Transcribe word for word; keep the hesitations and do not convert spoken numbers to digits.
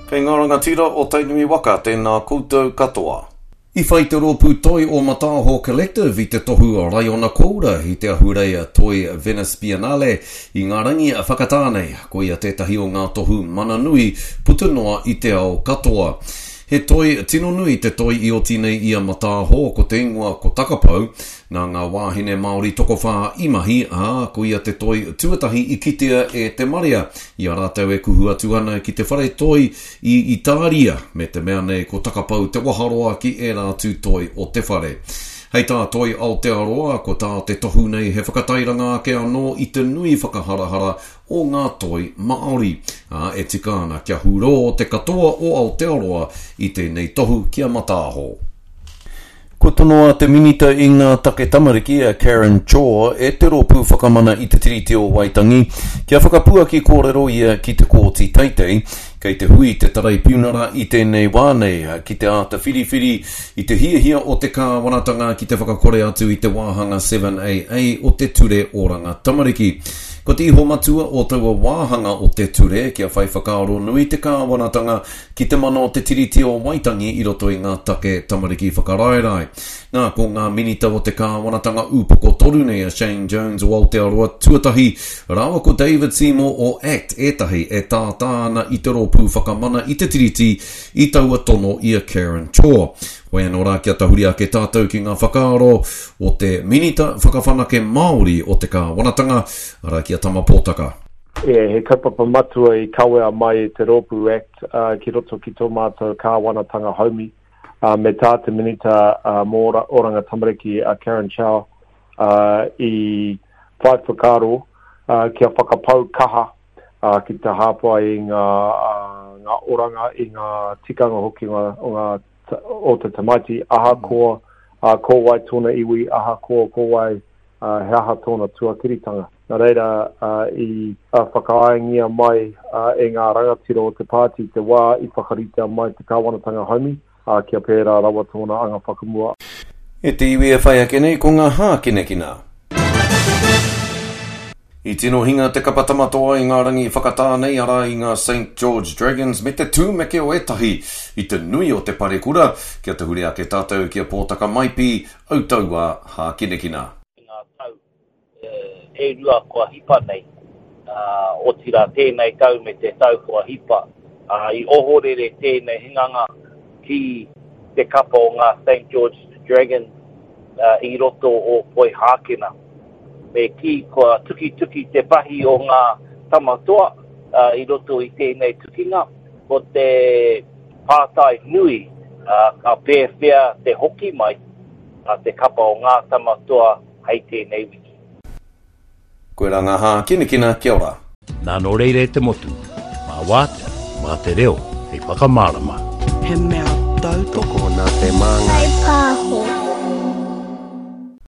Kei ngā rangatira o Tainui waka, tēnā koutou katoa. I whai te rōpū toi o Mataaho Collective i te tohu Raiona Koura i te ahurei Toi Venice Biennale i ngā rangi whakatā nei. Koia tētahi o ngā tohu mana nui puta noa i te ao katoa. He toi tino nui te toi i oti nei i a Mataaho, ko te ingoa ko Takapau, nā ngā wāhine Māori tokowhā i mahi, ā, koia te toi tuatahi i kitea e te marea i a rātou e kuhu atu ana ki te whare toi i Itāria, me te mea nei ko Takapau te waharoa ki ērā atu toi o te whare. Hei tā Toi Aotearoa, ko tā te tohu nei he whakatairanga ake anō i te nui whakaharahara o ngā toi Māori. Ā, e tika ana kia hurō te katoa o Aotearoa i tēnei tohu ki a Mataaho. Kua tonoa te Minita i ngā take tamariki a Karen Chhour e te Rōpū Whakamana i te Tiriti o Waitangi kia whakapuaki kōrero ia ki te Kōti Teitei. Kei te hui te Taraipiunara i tēnei wā nei ki te āta whiriwhiri i te hiahia o te kāwanatanga ki te whakakore atu i te wāhanga seven A A o te Ture Oranga Tamariki. Ko te iho matua o taua wāhanga o te ture kia whai whakaaro nui te kāwanatanga ki te mana o te Tiriti o Waitangi i roto i ngā take tamariki whakaraerae. Nā, ko ngā minita o te kāwanatanga ūpoko toru nei a Shane Jones o Aotearoa tuatahi, rāua ko David Seymour o ACT ētahi e tātā ana i te rōpū whakamana i te Tiriti i taua tono i a Karen Chhour. Hoi anō rā kia tahuri ake tātou ki ngā whakaaro o te minita whakawhanake Māori o te kāwanatanga, arā ki a Tama Pōtaka. E, he kaupapa matua i kawea mai e te rōpū ACT, uh, ki roto ki tō mātou kāwanatanga haumi, uh, me tā te minita, uh, mō ora, oranga tamariki a Karen Chhour, uh, i whai whakaaro, uh, kia whakapau kaha, uh, ki te hāpai i ngā, uh, ngā oranga, i ngā tikanga hoki ngā, o ngā o te tamaiti, ahakoa, uh, ko wai tōna iwi, ahakoa ko wai, uh, he aha tōna tuakiritanga. Nā reira, uh, i uh, whakaaengia mai, uh, e ngā rangatira o te pāti te wā i whakaritea mai te kāwanatanga haumi, uh, kia pērā rawa tōna anga whakamua. E te iwi e whai ake nei ko ngā hākinakina. I tino hinga te kapa tamatoa i ngā rangi whakatā nei arā i ngā Saint George Dragons me te tūmeke o ētahi i te nui o te parekura kia tahuri ake tātou ki a Pōtaka Maipi, Autaua hākinakina. I ngā tau e rua kua hipa nei, uh, otirā tēnei tau me te tau kua hipa, uh, i ohorere tēnei hinganga ki te kapa o ngā Saint George Dragons, uh, i roto o Poihākena. Me ki kua tukituki te pahi o ngā tamatoa, uh, i roto i tēnei tukinga, ko te pātai nui, uh, ka pēwhea te hoki mai a te kapa o ngā tamatoa hei tēnei wiki. Koe rā ngā hākinakina, kia ora. Nā nō reira e te motu, mā wātea, mā te reo, hei whakamārama. He mea tautoko. Tokona te māngai. Whai pāho.